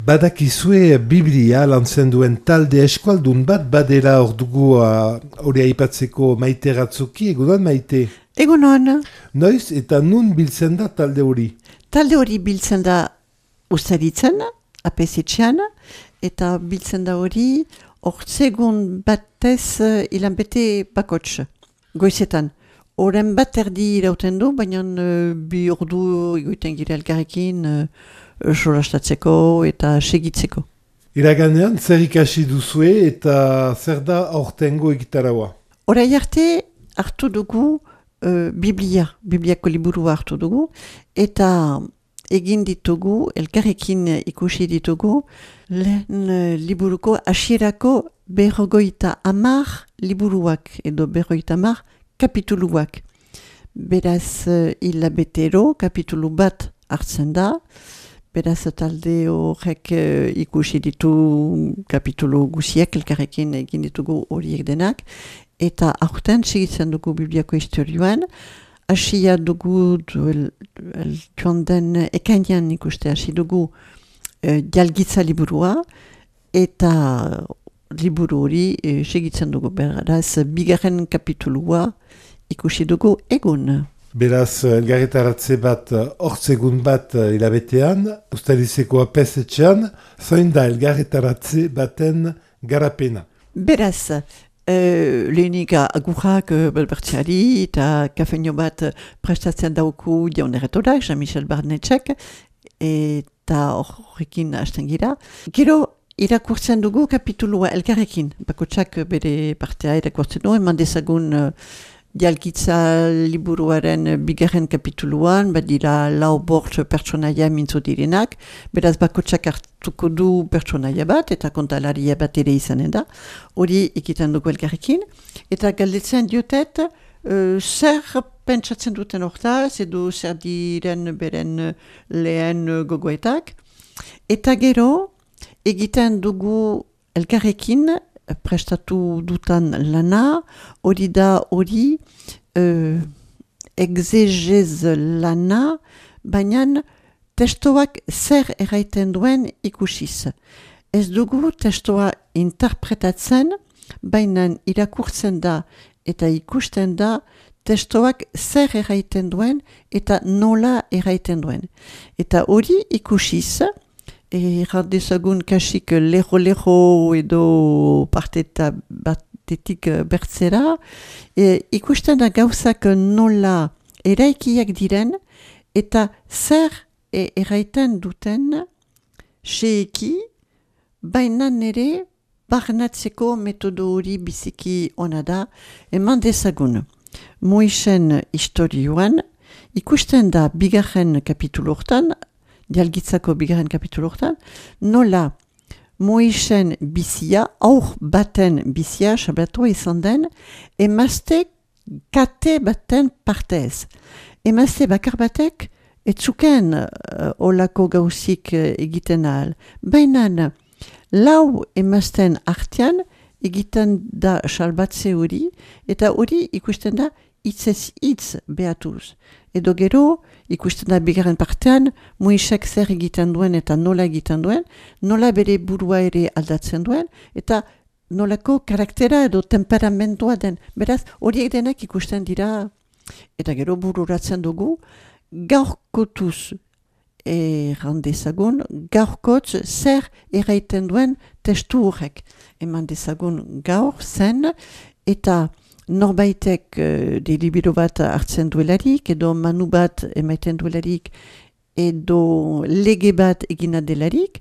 Badakizue Biblia lantzen duen talde eskualdun bat badela ordugu hori aipatzeko Maite Ratzuki, egunon Maite? Egunon. Noiz eta nun biltzen da talde hori? Talde hori biltzen da Ustaritzen, apesetxean, eta biltzen da hori ortsegun batez ilanbete bakots, goizetan. Oren bat erdi irauten du, baina bi ordu egoiten gira elkarrekin solastatzeko eta segitzeko. Iraganean zer ikasi duzue eta zer da aurtengo egitaraua? Horai arte hartu dugu Bibliako liburua hartu dugu, eta egin ditugu, elkarrekin ikusi ditugu, lehen liburuko hasierako 50 liburuak edo 50 kapituluak. Beraz, hilabetero kapitulu bat hartzen da, beraz talde horrek ikusi ditu kapitulu guziak, elkarrekin egin ditugu horiek denak, eta aurten segitzen dugu Bibliako historioan, hasia dugu joan den ekainean ikuste hasi dugu jalgitza liburua, eta liburu hori segitzen dugu, beraz, bigarren kapitulua ikusi dugu egun. Beraz, elgarretaratze bat, ortsegun bat hilabetean, Ustarizeko apesetxean, zoin da elgarretaratze baten garapena? Beraz, lehenik agurrak belbertzeari eta kafeino bat prestatzen dauku Jaun Erretorak, Jean-Michel Barnetxek, eta horrekin hasten gira. Gero, irakurtzen dugu kapitulua elkarrekin, bakotsak bere partea irakurtzen du, eman dezagun jalgitza liburuaren bigarren kapituluan, badira 4 pertsonaia mintzo direnak, beraz bakotsak hartuko du pertsonaia bat, eta kontalaria bat ere izanen da, hori ikiten dugu elkarrekin, eta galdetzen diotet, zer pentsatzen duten hortaz, edo zer diren beren lehen gogoetak, eta gero, egiten dugu elkarrekin, prestatu dutan lana, hori da hori exegez lana, baina testoak zer erraiten duen ikusiz. Ez dugu testoa interpretatzen, baina irakurtzen da eta ikusten da testoak zer erraiten duen eta nola erraiten duen. Eta hori ikusiz, erradezagun kasik leho edo parteta batetik bertzera, ikusten da gauzak nola eraikiak diren, eta zer erraiten duten seeki, baina nere barnatzeko metodo hori biziki ona da, eman dezagun. Moisen historioan, ikusten da bigarren kapitulu hortan, jalgitzako bigarren kapitulu hortan, nola Moisen bizia, aur baten bizia, sabratua izan den, emazte kate baten partez. Emazte bakar batek, etzuken olako gauzik egiten ahal. Baina, lau emazten artean, egiten da salbatze hori, eta hori ikusten da hitzez hitz behatuz. Edo gero, ikusten da bigarren partean, Moisek zer egiten duen eta nola egiten duen, nola bere burua ere aldatzen duen, eta nolako karaktera edo temperamentua den. Beraz, horiek denak ikusten dira, eta gero bururatzen dugu, gaurkotuz errandezagun, gaurkotz zer erraiten duen testu horrek. Eman dezagun gaur zen, eta norbaitek delibero bat hartzen duelarik, edo manu bat emaiten duelarik, edo lege bat egina delarik,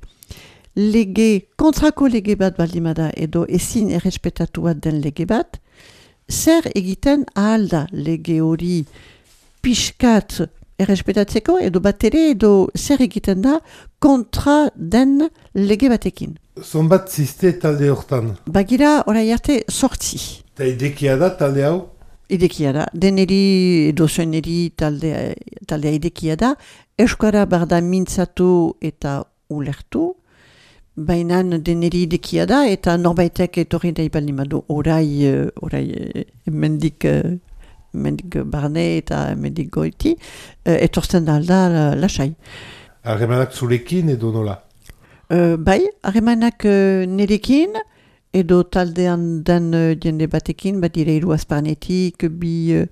kontrako lege bat baldimada, edo ezin errespetatu bat den lege bat, zer egiten ahal da lege hori pixkat errespetatzeko, edo bat ere, edo zer egiten da kontra den lege batekin. Zonbat ziste talde hortan? Bagira, orai arte, 8. Eta idekia da talde hau? Idekia da. Deneri edo zueneri taldea idekia da. Euskara barda mintzatu eta ulertu. Baina deneri idekia da eta norbaitek etorri da ibalimadu orai mendik barne eta mendik goiti etortzen da alda lasai. Harremanak zurekin edo nola? Bai, harremanak nerekin, edo taldean den jende batekin, bat dire hiru azparnetik, bi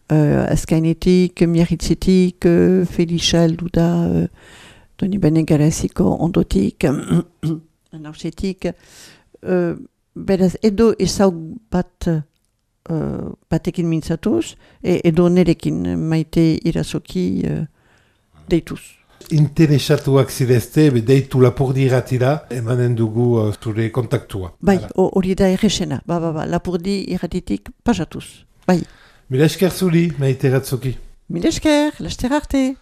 azkainetik, miarritzetik, Felixa heldu da, Doni Bene Garaziko ondotik, anausetik, beraz, edo ezaug batekin mintzatuz, edo nerekin Maite Irazoki deituz. Interesatuak zirezte, deitu Lapurdi irratira, emanen dugu zure kontaktua. Bai, hori da errexena, Lapurdi irratitik pasatuz, bai. Mila esker zuri, Maite Irazoki. Mila esker, laster arte.